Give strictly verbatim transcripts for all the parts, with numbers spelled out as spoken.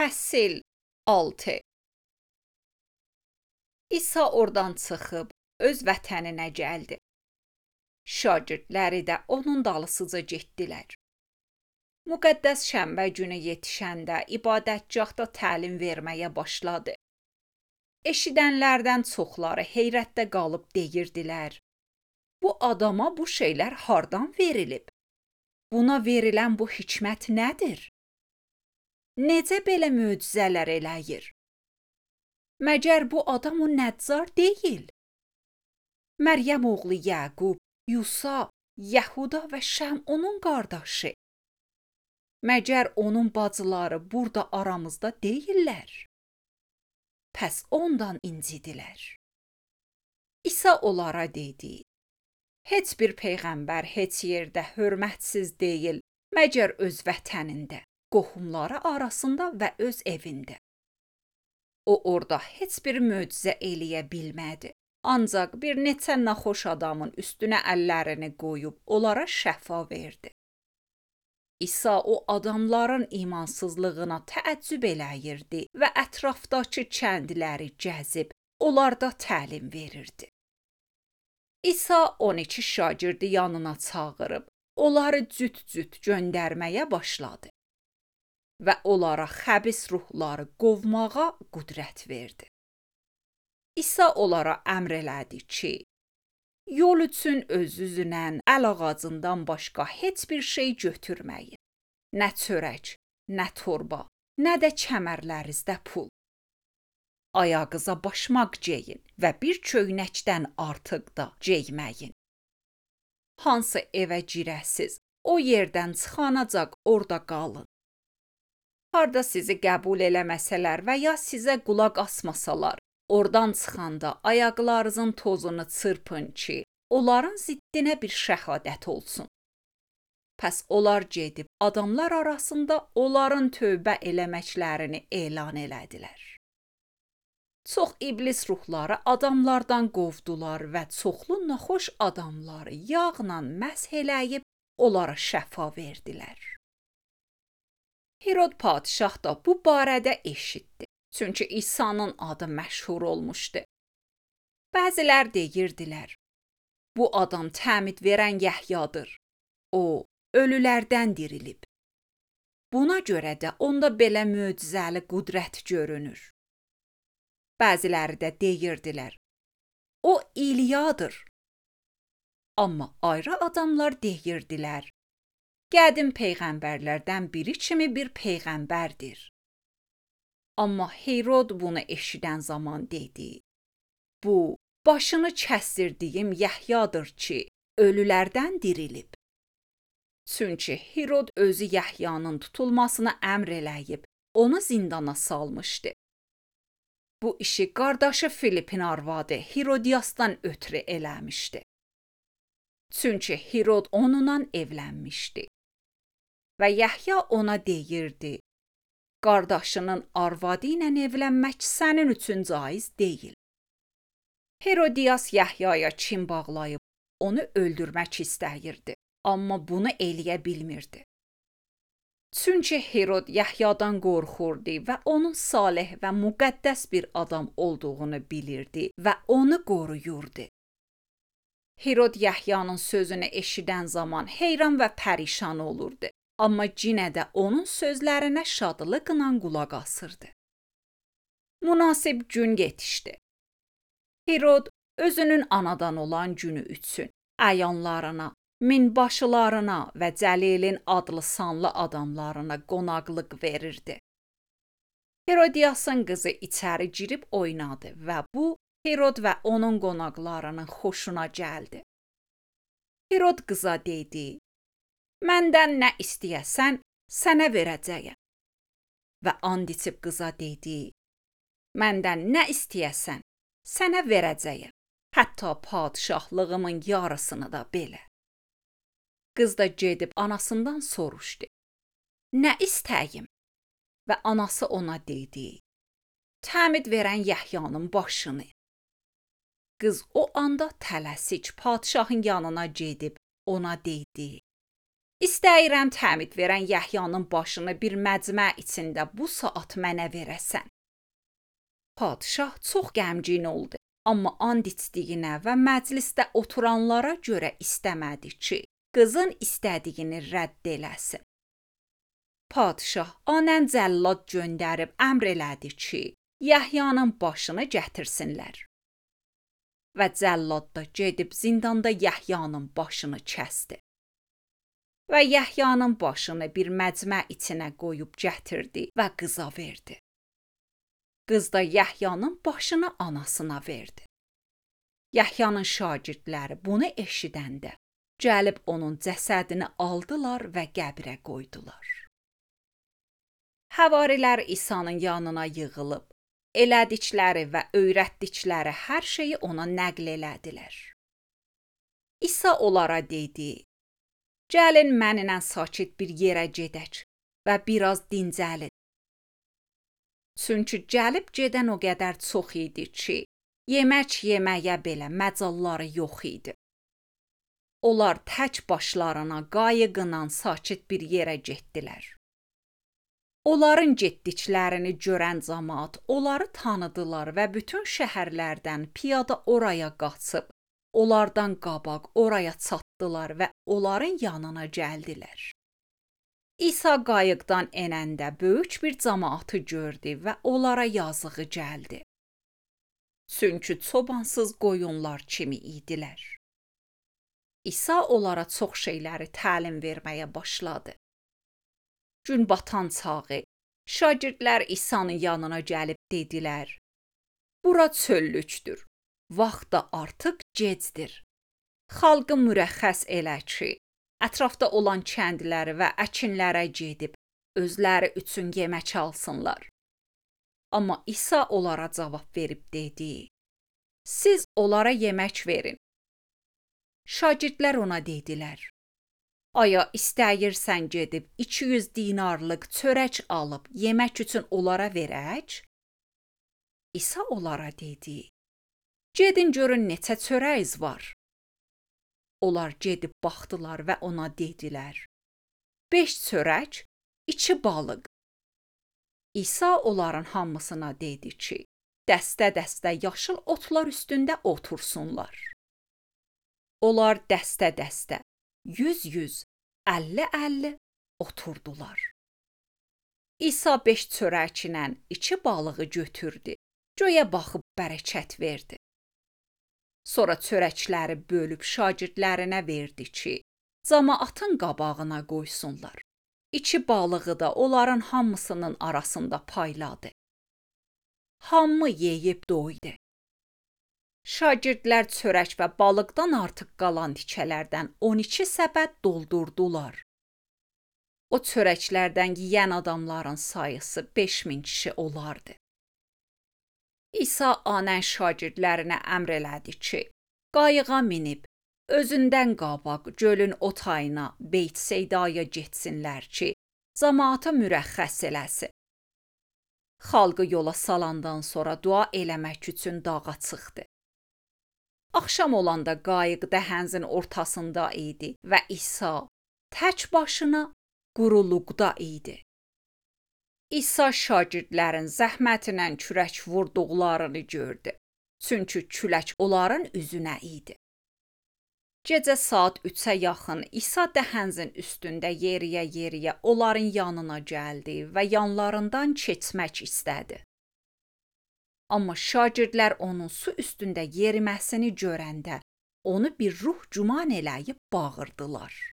Fəsil altı. İsa oradan çıxıb öz vətəninə gəldi. Şagirdləri də onun dalısıca getdilər. Müqəddəs şənbə günü yetişəndə ibadətgahda təlim verməyə başladı. Eşidənlərdən çoxları heyrətdə qalıb deyirdilər: Bu adama bu şeylər hardan verilib? Buna verilən bu hikmət nədir? Necə belə möcüzələr eləyir? Məgər bu adam o Nəccar deyil? Məryəm oğlu Yəqub, Yusa, Yəhuda və Şəm onun qardaşı. Məgər onun bacıları burada aramızda deyillər? Pəs ondan incidilər. İsa onlara dedi: Heç bir peyğəmbər heç yerdə hörmətsiz deyil, məgər öz vətənində, qohumları arasında və öz evində. O orada heç bir möcüzə eləyə bilmədi. Ancaq bir neçə naxoş adamın üstünə əllərini qoyub onlara şəfa verdi. İsa o adamların imansızlığına təəccüb eləyirdi və ətrafdakı kəndləri gəzib onlarda təlim verirdi. İsa on iki şagirdi yanına çağırıb onları cüt-cüt göndərməyə başladı və onlara xəbis ruhları qovmağa qüdrət verdi. İsa onlara əmr elədi ki, yol üçün özünüzlə əl ağacından başqa heç bir şey götürməyin. Nə çörək, nə torba, nə də kəmərlərinizdə pul. Ayağınıza başmaq geyin və bir köynəkdən artıq da geyməyin. Hansı evə girəsiz, o yerdən çıxanacaq orada qalın. Harda sizi qəbul eləməsələr və ya sizə qulaq asmasalar, oradan çıxanda ayaqlarınızın tozunu çırpın ki, onların ziddinə bir şəhadət olsun. Pəs onlar gedib adamlar arasında onların tövbə eləməklərini elan elədilər. Çox iblis ruhları adamlardan qovdular və çoxlu naxoş adamları yağla məsh eləyib onlara şəfa verdilər. Herod padişah da bu barədə eşitdi. Çünki İsa'nın adı məşhur olmuşdu. Bəzilər deyirdilər: Bu adam təmid verən Yəhyadır. O, ölülərdən dirilib. Buna görə də onda belə möcüzəli qüdrət görünür. Bəziləri də deyirdilər: O İliyadır. Amma ayrı adamlar deyirdilər: Qədim peyğəmbərlərdən biri kimi bir peyğəmbərdir. Amma Herod bunu eşidən zaman dedi: Bu, başını kəsdirdiyim Yəhyadır ki, ölülərdən dirilib. Çünki Herod özü Yəhyanın tutulmasına əmr eləyib, onu zindana salmışdı. Bu işi qardaşı Filipin arvadı Herodiyasdan ötürü eləmişdi. Çünki Herod onunla evlənmişdi. Və Yəhya ona deyirdi: Qardaşının arvadı ilə evlənmək sənin üçün caiz deyil. Herodiyas Yəhyaya kin bağlayıb onu öldürmək istəyirdi, amma bunu eləyə bilmirdi. Çünki Herod Yəhyadan qorxurdu və onun salih və müqəddəs bir adam olduğunu bilirdi və onu qoruyurdu. Herod Yəhyanın sözünü eşidən zaman heyran və pərişan olurdu. Amma yenə də onun sözlərinə şadlıqla qulaq asırdı. Münasib gün yetişdi. Herod özünün anadan olan günü üçün əyanlarına, minbaşılarına və Cəlilin adlı sanlı adamlarına qonaqlıq verirdi. Herodiyasın qızı içəri girib oynadı və bu Herod və onun qonaqlarının xoşuna gəldi. Herod qıza dedi: Məndən nə istəyəsən, sənə verəcəyəm. Və and içib qıza dedi: Məndən nə istəyəsən, sənə verəcəyəm. Hətta padişahlığımın yarısını da belə. Qız da gedib anasından soruşdu: Nə istəyim? Və anası ona dedi: Təmid verən Yəhyanın başını. Qız o anda tələsik padişahın yanına gedib ona dedi: İstəyirəm təmid verən Yəhyanın başını bir məcmə içində bu saat mənə verəsən. Padşah çox qəmgin oldu, amma and içdiyinə və məclisdə oturanlara görə istəmədi ki, qızın istədiyini rədd eləsin. Padşah anən cəllad göndərib əmr elədi ki, Yəhyanın başını gətirsinlər. Və cəllad da gedib zindanda Yəhyanın başını kəsdi. Və Yəhyanın başını bir məcmə içinə qoyub gətirdi və qıza verdi. Qız da Yəhyanın başını anasına verdi. Yəhyanın şagirdləri bunu eşidəndə gəlib onun cəsədini aldılar və qəbrə qoydular. Həvarilər İsa'nın yanına yığılıb, elədikləri və öyrətdikləri hər şeyi ona nəql elədilər. İsa onlara dedi: Gəlin mənimlə sakit bir yerə gedək və biraz dincəlin. Çünki gəlib gedən o qədər çox idi ki, yemək yeməyə belə məcalları yox idi. Onlar tək başlarına qayıqla sakit bir yerə getdilər. Onların getdiklərini görən cəmaət onları tanıdılar və bütün şəhərlərdən piyada oraya qaçıb, onlardan qabaq oraya çatdılar və onların yanına gəldilər. İsa qayıqdan enəndə böyük bir cəmaatı gördü və onlara yazığı gəldi. Çünki çobansız qoyunlar kimi idilər. İsa onlara çox şeyləri təlim verməyə başladı. Gün batan çağı, şagirdlər İsa'nın yanına gəlib dedilər: Bura çöllükdür, vaxt da artıq gecdir. Xalqı mürəxxəs elə ki, ətrafda olan kəndləri və əkinlərə gedib, özləri üçün yemək alsınlar. Amma İsa onlara cavab verib dedi: Siz onlara yemək verin. Şagirdlər ona dedilər: Aya istəyirsən gedib iki yüz dinarlıq çörək alıb yemək üçün onlara verək? İsa onlara dedi: Gedin görün neçə çörəyiz var. Onlar gedib baxdılar və ona dedilər: Beş çörək, iki balıq. İsa onların hamısına dedi ki, dəstə-dəstə yaşıl otlar üstündə otursunlar. Onlar dəstə-dəstə, yüz-yüz, əlli-əlli oturdular. İsa beş çörəklə iki balığı götürdü, göyə baxıb bərəkət verdi. Sonra çörəkləri bölüb şagirdlərinə verdi ki, cəmaatın qabağına qoysunlar. İki balığı da onların hamısının arasında payladı. Hamı yeyib doydu. Şagirdlər çörək və balıqdan artıq qalan tikələrdən on iki səbət doldurdular. O çörəklərdən yeyən adamların sayısı beş min kişi olardı. İsa anən şagirdlərinə əmr elədi ki, qayığa minib, özündən qabaq gölün o tayına Beytseydaya getsinlər ki, cəmaata mürəxxəs eləsin. Xalqı yola salandan sonra dua eləmək üçün dağa çıxdı. Axşam olanda qayıq dəhənzin ortasında idi və İsa tək başına quruluqda idi. İsa şagirdlərin zəhmətinə kürək vurduqlarını gördü. Çünki külək onların üzünə idi. Gecə saat üçə yaxın İsa dəhənzin üstündə yeriyə-yeriyə onların yanına gəldi və yanlarından keçmək istədi. Amma şagirdlər onun su üstündə yeriməsini görəndə onu bir ruh güman eləyib bağırdılar.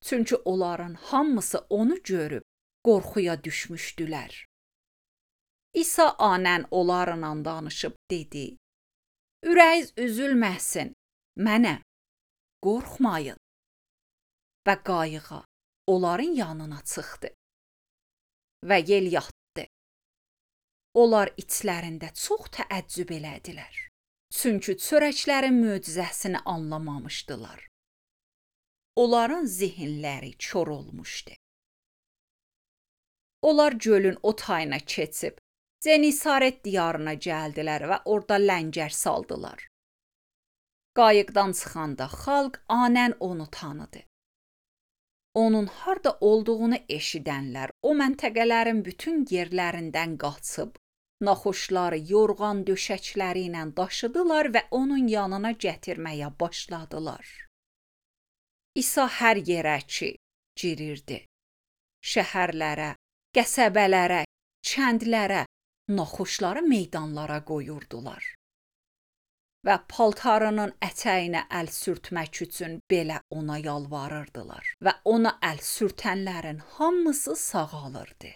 Çünki onların hamısı onu görüb qorxuya düşmüşdülər. İsa anən onlarla danışıb dedi: Ürəyiz üzülməsin, mənəm, qorxmayın. Və qayığa onların yanına çıxdı və yel yatdı. Onlar içlərində çox təəccüb elədilər. Çünki çörəklərin möcüzəsini anlamamışdılar. Onların zihinləri kor olmuşdu. Onlar gölün o tayına keçib, Zenisaret diyarına gəldilər və orada ləngər saldılar. Qayıqdan çıxanda xalq anən onu tanıdı. Onun harda olduğunu eşidənlər o məntəqələrin bütün yerlərindən qaçıb, naxoşları yorğan döşəkləri ilə daşıdılar və onun yanına gətirməyə başladılar. İsa hər yerə ki, girirdi. Şəhərlərə, qəsəbələrə, kəndlərə, naxoşları meydanlara qoyurdular. Və paltarının ətəyinə əl sürtmək üçün belə ona yalvarırdılar və ona əl sürtənlərin hamısı sağalırdı.